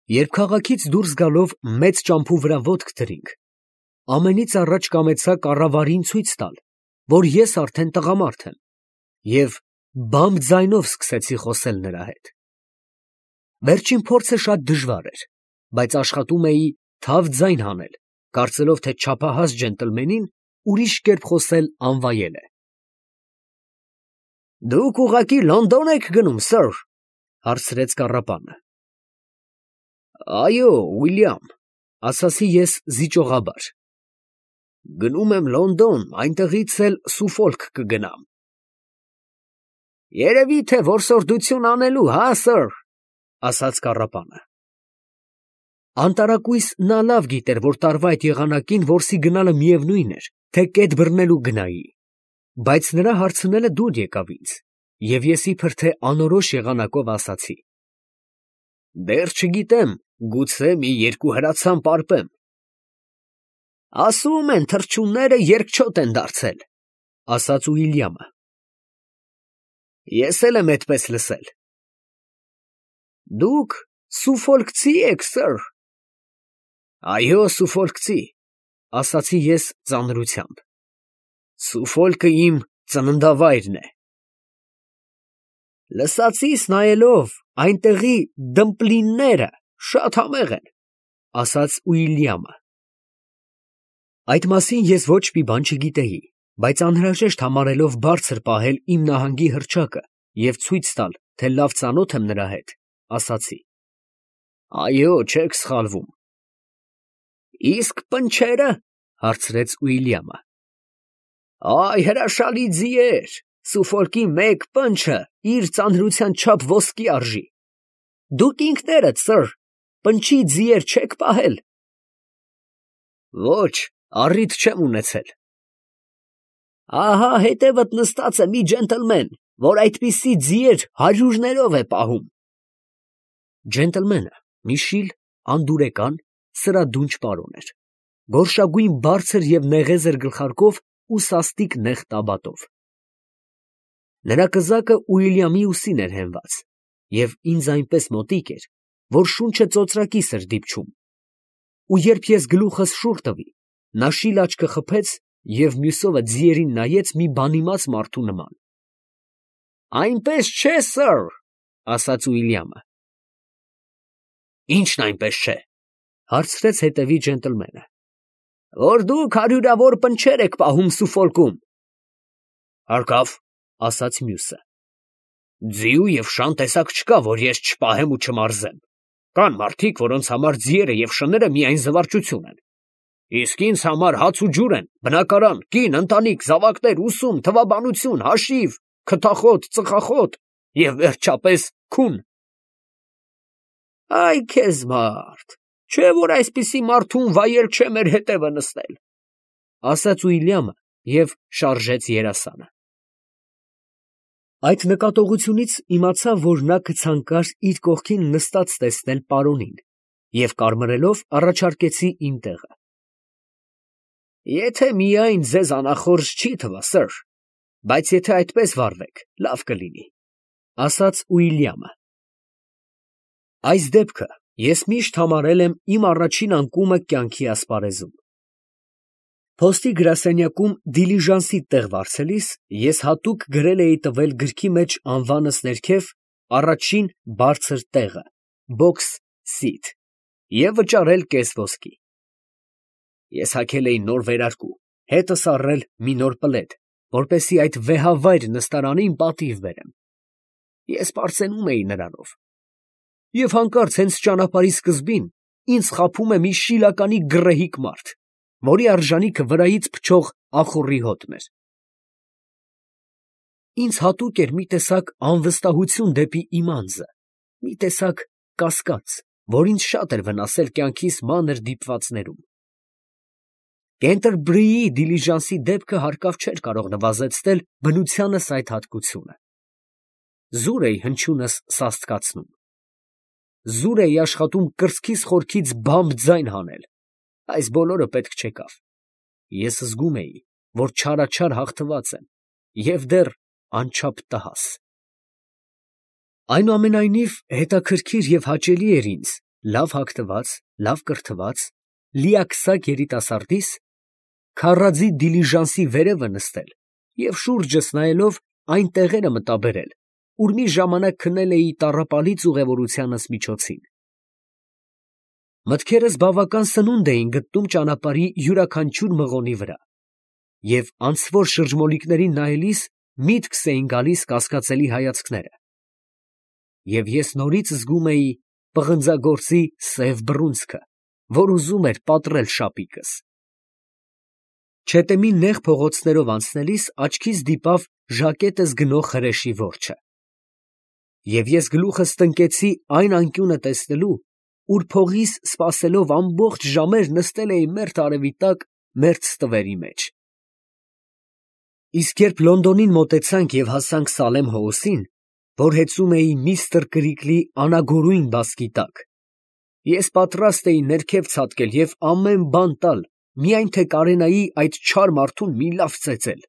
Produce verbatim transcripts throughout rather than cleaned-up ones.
Երբ քաղաքից դուրս գալով մեծ ճամփու վրա ոտք դրինք, ամենից առաջ կամեցա կառավարին ցույց տալ, որ ես արդեն տղամարդ եմ, և բամբ ձայնով սկսեցի խոսել նրա հետ։ Վերջին փորձը շատ դժվար էր, բայց աշխատում էի թավ ձայն հանել, կարծելով, թե չափահաս ջենտլմենին ուրիշ կերպ խոսել անվայել է։ «Դուք ուղղակի Լոնդոն եք գնում, սըր, ֊ հարցրեց կառապանը։ ֊ Այո, Ուիլյամ, ֊ ասացի ես զիջողաբար։ ֊ Գնում եմ Լոնդոն, այնտեղից էլ Սուֆոլք կգնամ։ ֊ Երևի թե որսորդություն անելու, հա, սըր, ֊ ասաց կառապանը։ Անտարակույս նա լավ գիտեր, որ տարվա այդ եղանակին որսի գնալը միևնույն էր, թե կետ բռնելու գնայի, բայց նրա հարցնելը դուր եկավ ինձ, և ես իբր թե անորոշ եղանակով ասացի. Դեռ չգիտեմ, գուցե մի երկու հրացան պարպեմ։ ֊ Ասում են, թռչունները երկչոտ են դարձել, ֊ ասաց Ուիլյամը։ ֊ Ես էլ եմ այդպես լսել։ ֊ Դուք սուֆոլքցի եք, սըր։ ֊ Այո, սուֆոլքցի, ֊ ասացի ես ծանրությամբ։ Սուֆոլքը իմ ծննդավայրն է։ ֊ Լսածիս նայելով, այնտեղի դմպլինները շատ համեղ են, ֊ ասաց Ուիլյամը։ Այդ մասին ես ոչ մի բան չգիտեի, բայց անհրաժեշտ համարելով բարձր պահել իմ նահանգի հռչակը և ցույց տալ, թե լավ ծանոթ եմ նրա հետ, ասացի. Այո, չեք սխալվում։ ֊ Իսկ պնչերը, ֊ հարցրեց Ուիլյամը։ ֊ Այ հրաշալի ձիեր, Սուֆոլքի մեկ պնչը իր ծանրության չափ ոսկի արժի։ Դուք ինքներդ, սըր, պնչի ձիեր չեք պահել։ ֊ Ոչ, առիթ չեմ ունեցել։ ֊ Ահա հետևդ նստած է մի ջենտլմեն, որ այդպիսի ձիեր հարյուրներով է պահում։ Ջենտլմենը մի շիլ, անդուրեկան, սրադունչ պարոն էր, գորշագույն բարձր և նեղեզր գլխարկով ու սաստիկ նեղ տաբատով։ Նրա կզակը Ուիլյամի ուսին էր հենված, և ինձ այնպես մոտիկ էր, որ շունչը ծոծրակիս էր դիպչում, ու երբ ես գլուխս շուռ տվի, նա շիլ աչքը խփեց և մյուսովը ձիերին նայեց մի բանիմաց մարդու նման։ ֊ Այնպես չէ, սըր, ֊ ասաց Ուիլյամը։ ֊ Ի՞նչն այնպես չէ, ֊ հարցրեց հետևի ջենտլմենը։ ֊ Որ դուք հարյուրավոր պնչեր եք պահում Սուֆոլքում։ ֊ Հարկավ, ֊ ասաց մյուսը։ ֊ Ձիու և շան տեսակ չկա, որ ես չպահեմ ու չմարզեմ։ Կան մարդիկ, որոնց համար ձիերը և շները միայն զվարճություն են, իսկ ինձ համար հաց ու ջուր են, բնակարան, կին, ընտանիք, զավակներ, ուսում, թվաբանություն, հաշիվ, քթախոտ, ծխախոտ և վերջապես քուն։ ֊ Այ քեզ մարդ, չէ՞ որ այսպիսի մարդուն վայել չէ մեր հետևը նստել, ֊ ասաց Ուիլյամը և շարժեց երասանը։ Այդ նկատողությունից իմացա, որ նա կցանկար իր կողքին նստած տեսնել պարոնին, և կարմրելով առաջարկեցի իմ տեղը։ ֊ Եթե միայն ձեզ անախորժ չի թվա, սըր, բայց եթե այդպես վարվեք, լավ կլինի, ֊ ասաց Ուիլյամը։ Այս դեպքը ես միշտ համարել եմ իմ առաջին անկումը կյանքի ասպարեզում։ Փոստի գրասենյակում դիլիժանսի տեղ վարձելիս ես հատուկ գրել էի տվել գրքի մեջ անվանս ներքև առաջին բարձր տեղը box seat և վճարել կես ոսկի։ Ես հագել էի նոր վերարկու, հետս առել մի նոր պլեդ, որպեսզի այդ վեհավայր նստարանին պատիվ բերեմ։ Ես պարծենում էի նրանով, և հանկարծ հենց ճանապարհի սկզբին ինձ խաբում է մի շիլականի գռեհիկ մարդ, որի արժանիքը վրայից փչող ախոռի հոտն էր։ Ինձ հատուկ էր մի տեսակ անվստահություն դեպի իմ անձը, մի տեսակ կասկած, որ ինձ շատ էր վնասել կյանքիս մանր դիպվածներում։ Կենտերբրիի դիլիժանսի դեպքը հարկավ չէր կարող նվազեցնել բնությանս այդ հատկությունը։ Զուր էի հնչյունս սաստկացնում։ Զուր էի աշխատում կրծքիս խորքից բամբ ձայն հանել, այս բոլորը պետք չեկավ։ Ես զգում էի, որ չարաչար հաղթված եմ և դեռ անչափ տհաս։ Այնուամենայնիվ հետաքրքիր և հաճելի էր ինձ լավ հագնված, լավ կրթված, լիաքսակ երիտասարդիս, քառաձի դիլիժանսի վերևը նստել և շուրջս նայելով այն տեղերը մտաբերել, ուր մի ժամանակ քնել էի տառապալից ուղևորությանս միջոցին։ Մտքերս բավական սնունդ էին գտնում ճանապարհի յուրաքանչյուր մղոնի վրա, և անցավոր շրջմոլիկներին նայելիս միտքս էին գալիս կասկածելի հայացքները, և ես նորից զգում էի պղնձագործի սև բռունցքը, որ ուզում էր պատռել շապիկս։ Չետեմի նեղ փողոցներով անցնելիս աչքիս դիպավ ժակետս գնող հրեշի որջը, և ես գլուխս տնկեցի այն անկյունը տեսնելու, ուր փողիս սպասելով ամբողջ ժամեր նստել էի մերթ արևի տակ մերթ ստվերի մեջ։ Իսկ երբ Լոնդոնին մոտեցանք և հասանք Սալեմ հոսին, որ հեծում էի միստր Կրիկլի անագորույն բասկի տակ, ես պատրաստ էի ներքև ցատկել և ամեն բան տալ, միայն թե կարենայի այդ չար մարդուն մի լավ ծեծել,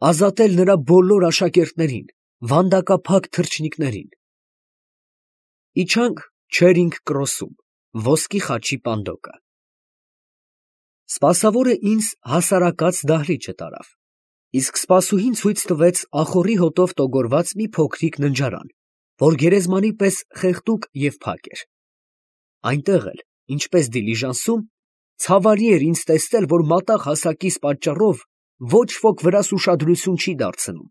ազատել նրա բոլոր աշակերտներին, վանդակափակ թռչնիկներին։ Իջանք Չերինգ Քրոսում, ոսկի խաչի պանդոկը։ Սպասավորը ինձ հասարակած դահլիճը տարավ, իսկ սպասուհին ցույց տվեց ախոռի հոտով տոգորված մի փոքրիկ ննջարան, որ գերեզմանի պես խեղդուկ և փակ էր։ Այնտեղ էլ, ինչպես դիլիժանսում, ցավալի էր ինձ տեսնել, որ մատաղ հասակիս պատճառով ոչ ոք վրաս ուշադրություն չի դարձնում։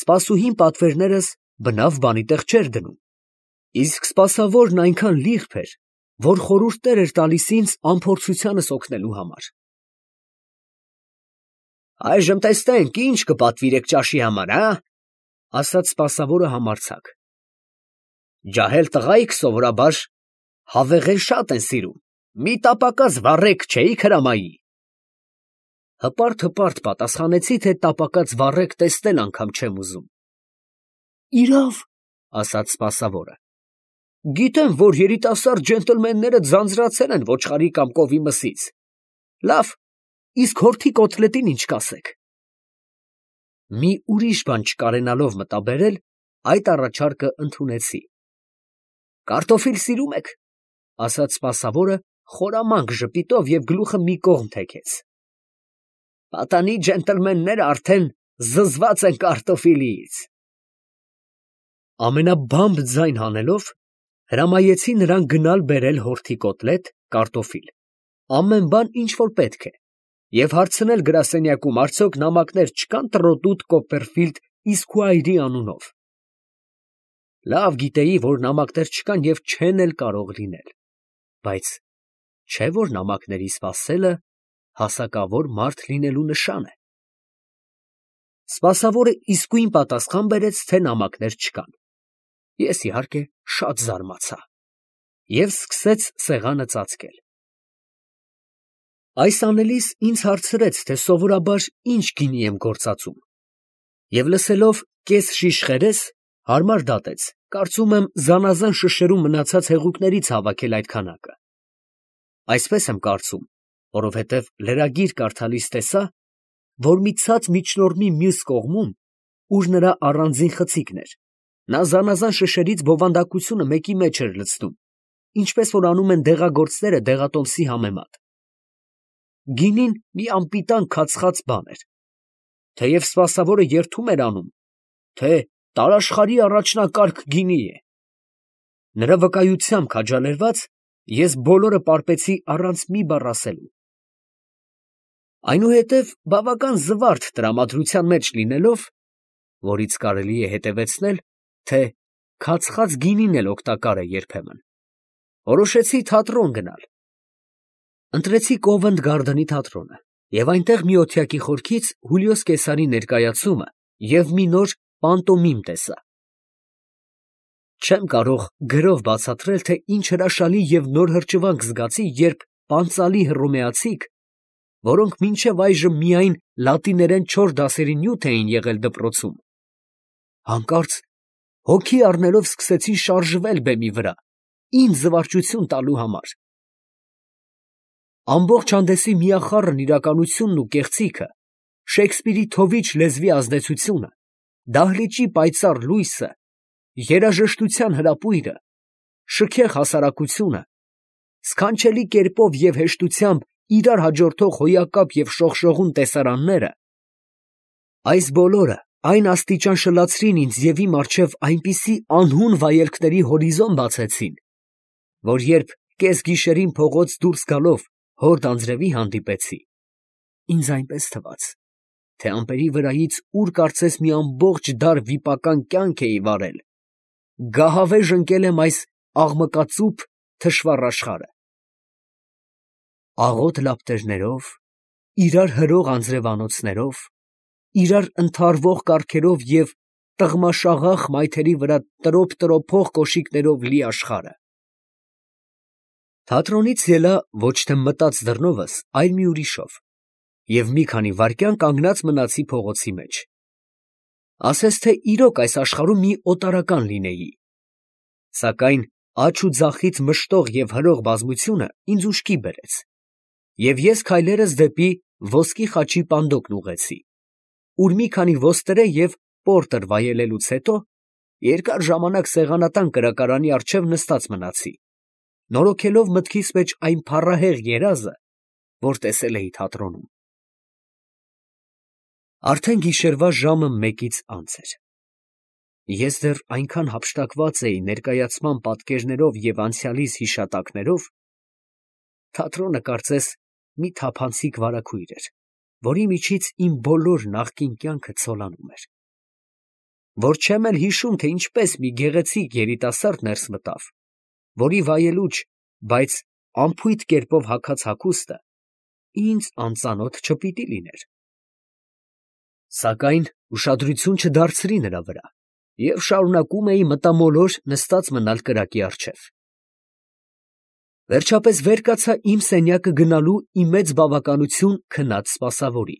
Սպասուհին պատվերներս բնավ բանի տեղ չէր դնում, իսկ սպասավորն այնքան լիրբ էր, որ խորհուրդներ էր տալիս ինձ անփորձությանս օգնելու համար։ «Այժմ տեսնենք, ի՞նչ կպատվիրեք ճաշի համար, ա» ասաց սպասավորը համարձակ։ «Ջահել տղայք սովորաբար հավեղել շատ են սիրում, մի տապակած վառեք, չէի՞ք հրամայի»։ Հպարտ հպարտ պատասխանեցի, թե տապակած վառեք տեսնել անգամ չեմ ուզում։ «Իրավ, ֊ ասաց սպասավորը, ֊ գիտեմ, որ երիտասարդ ջենտլմենները ձանձրացել են ոչխարի կամ կովի մսից, լավ, իսկ հորթի կոտլետին ի՞նչ կասեք»։ Մի ուրիշ բան չկարենալով մտաբերել, այդ առաջարկը ընդունեցի։ «Կարտոֆիլ սիրում եք, ֊ ասաց սպասավորը խորամանկ ժպիտով և գլուխը մի կողմ թեքեց։ ֊ Պատանի ջենտլմենները արդեն զզված են կարտոֆիլից»։ Ամենաբամբ ձայն հանելով, հրամայեցի նրան գնալ բերել հորթի կոտլետ, կարտոֆիլ, ամեն բան, ինչ որ պետք է, և հարցնել գրասենյակում արդյոք նամակներ չկան Տրոտուտ Կոպպերֆիլդ Իսքվայրի անունով։ Լավ գիտեի, որ նամակներ չկան և չեն էլ կարող լինել, բայց չէ՞ որ նամակների սպասելը հասակավոր մարդ լինելու նշան է։ Սպասավորը իսկույն պատասխան բերեց, թե նամակներ չկան։ Ես, իհարկե, շատ զարմացա և սկսեց սեղանը ծածկել։ Այս անելիս ինձ հարցրեց, թե սովորաբար ինչ գինի եմ գործածում, և լսելով կես շիշ խերես, հարմար դատեց, կարծում եմ զանազան շշերում մնացած հեղուկներից հավաքել այդ քանակը։ Այսպես եմ կարծում, որովհետև լրագիր կարդալիս տեսա, որ մի ցած միջնորդի մյուս կողմում, ուր նրա առանձին խցիկն էր, նա զանազան շշերից բովանդակությունը մեկի մեջ էր լցնում, ինչպես որ անում են դեղագործները դեղատոմսի համեմատ։ Գինին մի անպիտան քացխաց բան էր, թեև սպասավորը երդում էր անում, թե տարաշխարհի առաջնակարգ գինի է։ Նրա վկայությամբ քաջալերված, ես բոլորը պարպեցի առանց մի բառ ասելու։ Այնուհետև բավական զվարթ տրամադրության մեջ լինելով, որից կարելի է հետևեցնել, թե քացխաց գինին էլ օգտակար է երբեմն, որոշեցի թատրոն գնալ։ Ընտրեցի Կովենտ Գարդենի թատրոնը և այնտեղ մի օթյակի խորքից Հուլիոս Կեսարի ներկայացումը և մի նոր պանտոմիմ տեսա։ Չեմ կարող գրով բացատրել, թե ինչ հրաշալի և նոր հրճվանք զգացի, երբ պանծալի հռոմեացիք, որոնք մինչև այժմ միայն լատիներեն չորս դասերի նյութ էին եղել դպրոցում, հանկարծ հոգի առնելով սկսեցին շարժվել բեմի վրա, ինձ զվարճություն տալու համար։ Ամբողջ հանդեսի միախառն իրականությունն ու կեղծիքը, Շեքսպիրի թովիչ լեզվի ազդեցությունը, դահլիճի պայծառ լույսը, երաժշտության հրապույրը, շքեղ հասարակությունը, սքանչելի կերպով և հեշտությամբ իրար հաջորդող հոյակապ և շողշողուն տեսարանները, այս բոլորը այն աստիճան շլացրին ինձ և իմ առջև այնպիսի անհուն վայելքների հորիզոն բացեցին, որ երբ կեսգիշերին փողոց դուրս գալով հորդ անձրևի հանդիպեցի, ինձ այնպես թվաց, թե ամպերի վրայից ուր կարծես մի ամբողջ դար վիպական կյանք էի վարել, գահավեժ ընկել եմ այս աղմկածուփ թշվառ աշխարհը։ Աղոտ լապտերներով, իրար հրող անձրևանոցներով, իրար ընդհարվող կառքերով և տղմաշաղախ մայթերի վրա տրոփ֊տրոփող կոշիկներով լի աշխարհը։ Թատրոնից ելա ոչ թե մտած դռնովս, այլ մի ուրիշով, և մի քանի վայրկյան կանգնած մնացի փողոցի մեջ։ Ասես թե իրոք այս աշխարհում մի օտարական լինեի, սակայն աջ ու ձախից մշտող և հրող բազմությունը ինձ ուշքի բերեց, և ես քայլերս դեպի ոսկի խաչի պանդոկն ուղղեցի, ուր մի քանի ոստրե և պորտեր վայելելուց հետո երկար ժամանակ սեղանատան կրակարանի առջև նստած մնացի, նորոգելով մտքիս մեջ այն փառահեղ երազը, որ տեսել էի թատրոնում։ Արդեն գիշերվա ժամը մեկից անց էր։ Ես դեռ այնքան հափշտակված էի ներկայացման պատկերներով և անցյալիս հիշատակներով, թատրոնը կարծես մի թափանցիկ վարագույր էր, որի միջից իմ բոլոր նախկին կյանքը ցոլանում էր, որ չեմ էլ հիշում, թե ինչպես մի գեղեցիկ երիտասարդ ներս մտավ, որի վայելուչ, բայց անփույթ կերպով հագած հագուստը ինձ անծանոթ չպիտի լիներ։ Սակայն ուշադրություն չդարձրի նրա վրա և շարունակում էի մտամոլոր նստած մնալ կրակի առջև։ Վերջապես վեր կացա իմ սենյակը գնալու իմ մեծ բավականություն քնած սպասավորի,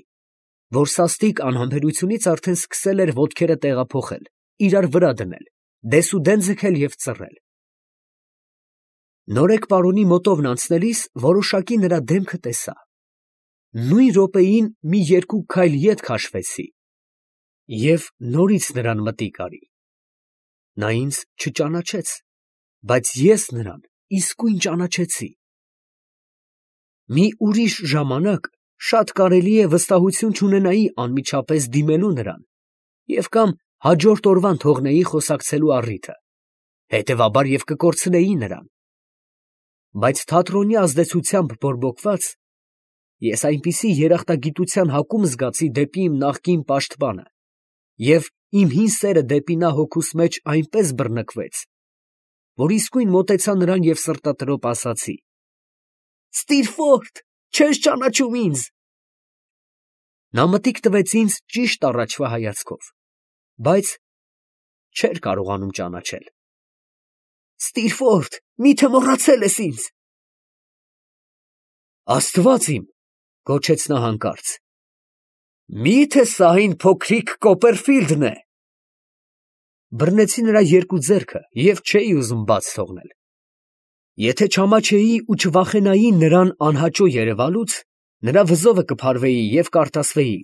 որ սաստիկ անհամբերությունից արդեն սկսել էր ոտքերը տեղափոխել, իրար վրա դնել, դեսուդեն ձգել և ծռել։ Նորեկ պարոնի մոտովն անցնելիս որոշակի նրա դեմքը տեսա, նույն րոպեին մի երկու քայլ ետ քաշվեցի և նորից նրան մտիկ արի։ Նա ինձ չճանաչեց, բայց ես նրան իսկույն ճանաչեցի։ Մի ուրիշ ժամանակ շատ կարելի է վստահություն չունենայի անմիջապես դիմելու նրան և կամ հաջորդ օրվան թողնեի խոսակցելու առիթը, հետևաբար և կկորցնեի նրան, բայց թատրոնի ազդեցությամբ բորբոքված, ես այնպիսի երախտագիտության հակում զգացի դեպի իմ նախկին պաշտպանը, և իմ հին սերը դեպի նա հոգուս մեջ այնպես բռնկվեց, որ իսկույն մոտեցա նրան և սրտատրոփ ասացի. «Ստիրֆորդ, չե՞ս ճանաչում ինձ»։ Նա մտիկ տվեց ինձ ճիշտ առաջվա հայացքով, բայց չէր կարողանում ճանաչել։ «Ստիրֆորդ, մի՞թե մոռացել ես ինձ»։ «Աստված իմ», գոչեց նա հանկարծ, «մի՞թե սա այն փոքրիկ Կոպերֆիլդն է»։ Բռնեցի նրա երկու ձեռքը և չէի ուզում բաց թողնել։ Եթե չամաչեի ու չվախենայի նրան անհաճո երևալուց, նրա վզովը կփարվեի և կարտասվեի։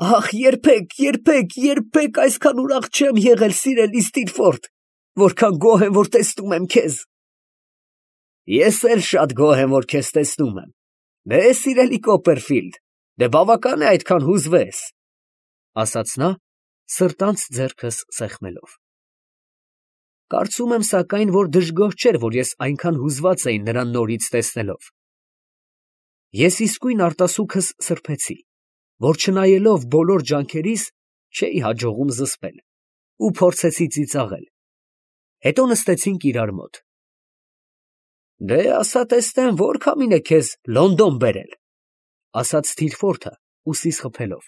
«Ախ, երբեք, երբեք, երբեք այսքան ուրախ չեմ եղել, սիրելի Ստիրֆորդ, որքան գոհ եմ, որ տեսնում եմ քեզ»։ «Ես էլ շատ գոհ եմ, որ քեզ տեսնում եմ։ Դե, սիրելի Կոպերֆիլդ, դե բավական է այդքան հուզվես», ֊ ասաց նա, սրտանց ձեռքս սեղմելով։ Կարծում եմ սակայն, որ դժգոհ չէր, որ ես այնքան հուզված էի նրան նորից տեսնելով։ Ես իսկույն արտասուքս սրբեցի, որ չնայելով բոլոր ջանքերիս չէի հաջողում զսպել, ու փորձեցի ծիծաղել։ Հետո նստեցինք իրար մոտ։ «Դե, ասա տեսնեմ, ո՞ր քամին է քեզ Լոնդոն բերել», ֊ ասաց Ստիրֆորդը ուսիս խփելով։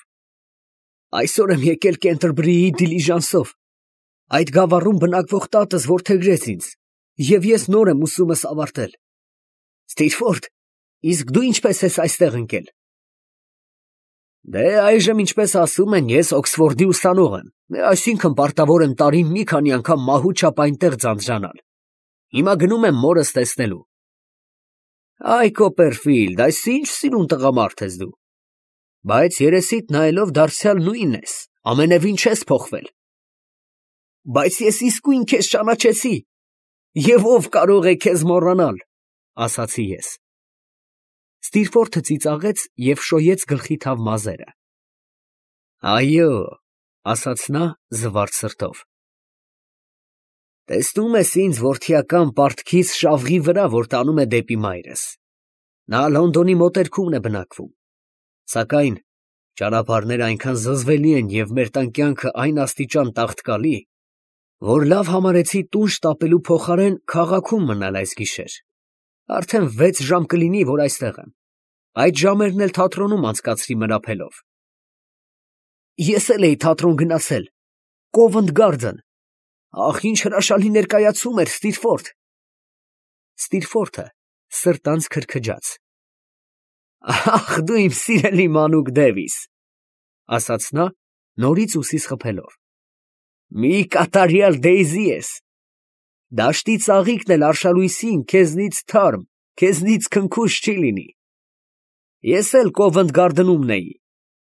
«Այսօր եմ եկել Կենտերբրիի դիլիժանսով, այդ գավառում բնակվող տատս որդեգրեց ինձ, և ես նոր եմ ուսումս ավարտել։ Ստիրֆորդ, իսկ դու ինչպես ես այստեղ ընկել»։ «Դե, այժմ, ինչպես ասում են, ես Օքսֆորդի ուսանող եմ, այսինքն պարտավոր եմ տարին մի քանի անգամ մահու չափ այնտեղ ձանձրանալ։ Հիմա գնում եմ մորս տեսնելու»։ «Այ Կոպերֆիլդ, այս ի՞նչ սիրուն տղամարդ ես դու, բայց երեսիդ նայելով դարձյալ նույնն ես, ամենևին չես փոխվել»։ «Բայց ես իսկույն քեզ ճանաչեցի, Եվ ով կարող է քեզ մոռանալ, ասացի ես։ Ստիրֆորդը ծիծաղեց և շոյեց գլխի թավ մազերը։ Այո, ասաց նա զվարթ սրտով։ Տեսնում ես ինձ որդիական պարտքից շավղի վրա, որ տանում է դեպի մայրս։ Նա Լոնդոնի մոտերքումն է բնակվում, սակայն ճանապարհները այնքան զզվելի են և մեր տան կյանքը այն աստիճան տաղտկալի, որ լավ համարեցի տուն շտապելու փոխարեն քաղաքում մնալ այս գիշեր։ Արդեն վեց ժամ կլինի, որ այստեղ եմ, այդ ժամերն էլ թատրոնում անցկացրի մրափելով։ Ես էլ էի թատրոն գնացել, Կովենտ Գարդեն, ահ, ինչ հրաշալի ներկայացում էր, Ստիրֆորդ։ Ստիրֆորդը սրտանց քրքջաց։ Ախ, դու իմ սիրելի մանուկ Դևիս, ասաց նա, նորից ուսիս խփելով։ Մի կատարյալ Դեյզի ես։ Դաշտի ծաղիկն էլ արշալույսին քեզնից թարմ, քեզնից քնքուշ չի լինի։ Ես էլ Կովենտ Գարդենում էի,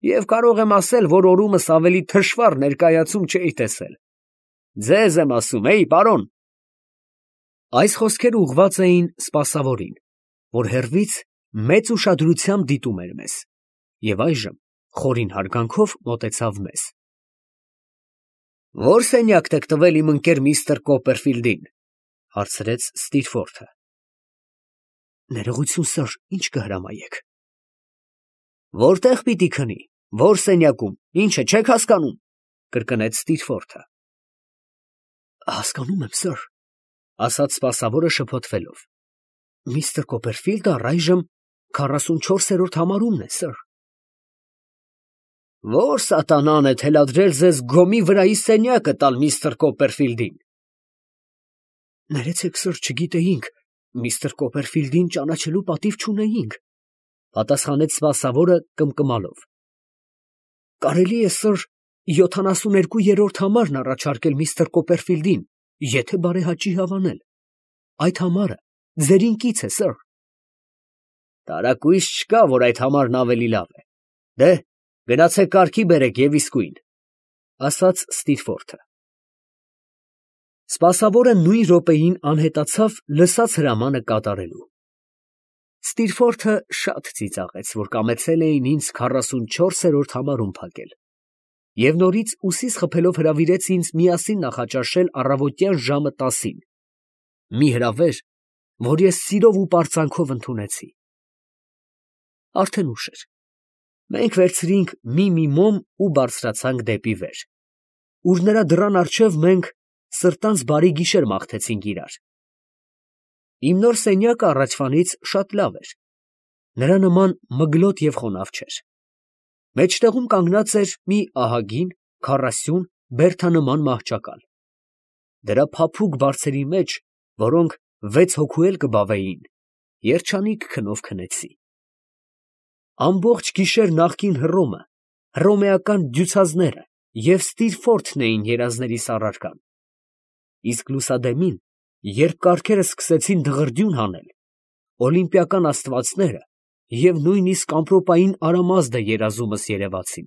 և կարող եմ ասել, որ օրումս ավելի թշվառ ներկայացում չէի տեսել։ Ձեզ եմ ասում, էյ, պարոն։ Այս խոսքերը ուղղված էին սպասավորին, որ հեռվից մեծ ուշադրությամբ դիտում էր մեզ, և այժմ խորին հարգանքով մոտեցավ մեզ։ Ո՞ր սենյակն եք տվել իմ ընկեր միստր Կոպերֆիլդին, հարցրեց Ստիրֆորդը։ Ներողություն, սըր, ինչ կհրամայեք։ Որտե՞ղ պիտի քնի, ո՞ր սենյակում, ի՞նչը չեք հասկանում, կրկնեց Ստիրֆորդը։ Հասկանում եմ, սըր, ասաց սպասավորը շփոթվելով։ Միստր Կոպերֆիլդը առայժմ քառասունչորսերորդ համարումն է, սըր։ Ո՞ր սատանան է թելադրել ձեզ գոմի վրայի սենյակը տալ միստր Կոպերֆիլդին։ Ներեցեք, սըր, չգիտեինք, միստր Կոպերֆիլդին ճանաչելու պատիվ չունեինք, պատասխանեց սպասավորը կմկմալով։ Կարելի է, սըր, յոթանասուներկուերորդ համարն առաջարկել միստր Կոպերֆիլդին, եթե բարեհաճի հավանել։ Այդ համարը ձեր ինքից է, սըր։ Տարակույս չկա, որ այդ համարն ավելի լավ է։ Դե, գնացեք կարգի բերեք և իսկույն, ասաց Ստիրֆորդը։ Սպասավորը նույն րոպեին անհետացավ լսած հրամանը կատարելու։ Ստիրֆորդը շատ ծիծաղեց, որ կամեցել էին ինձ քառասունչորսերորդ համարում փակել, և նորից ուսիս խփելով հրավիրեց ինձ միասին նախաճաշել առավոտյան ժամը տասին, մի հրավեր, որ ես սիրով ու պարծանքով ընդունեցի։ Արդեն ուշ էր։ Մենք վերցրինք մի-մի մոմ ու բարձրացանք դեպի վեր, ուր նրա դռան առջև մենք սրտանց բարի գիշեր մաղթեցինք իրար։ Իմ նոր սենյակը առաջվանից շատ լավ էր, նրա նման մգլոտ և խոնավ չէր։ Մեջտեղում կանգնած էր մի ահագին, քառասյուն, բերդանման մահճակալ։ Դրա փափուկ բարձերի մեջ, որոնք վեց հոգու էլ կբավեին, երջանիկ քնով քնեցի։ Ամբողջ գիշեր նախկին Հռոմը, հռոմեական դյուցազները և Ստիրֆորդն էին երազներիս առարկան, իսկ լուսադեմին, երբ կառքերս սկսեցին դղրդյուն հանել, օլիմպիական աստվածները և նույնիսկ ամպրոպային Արամազդը երազումս երևացին։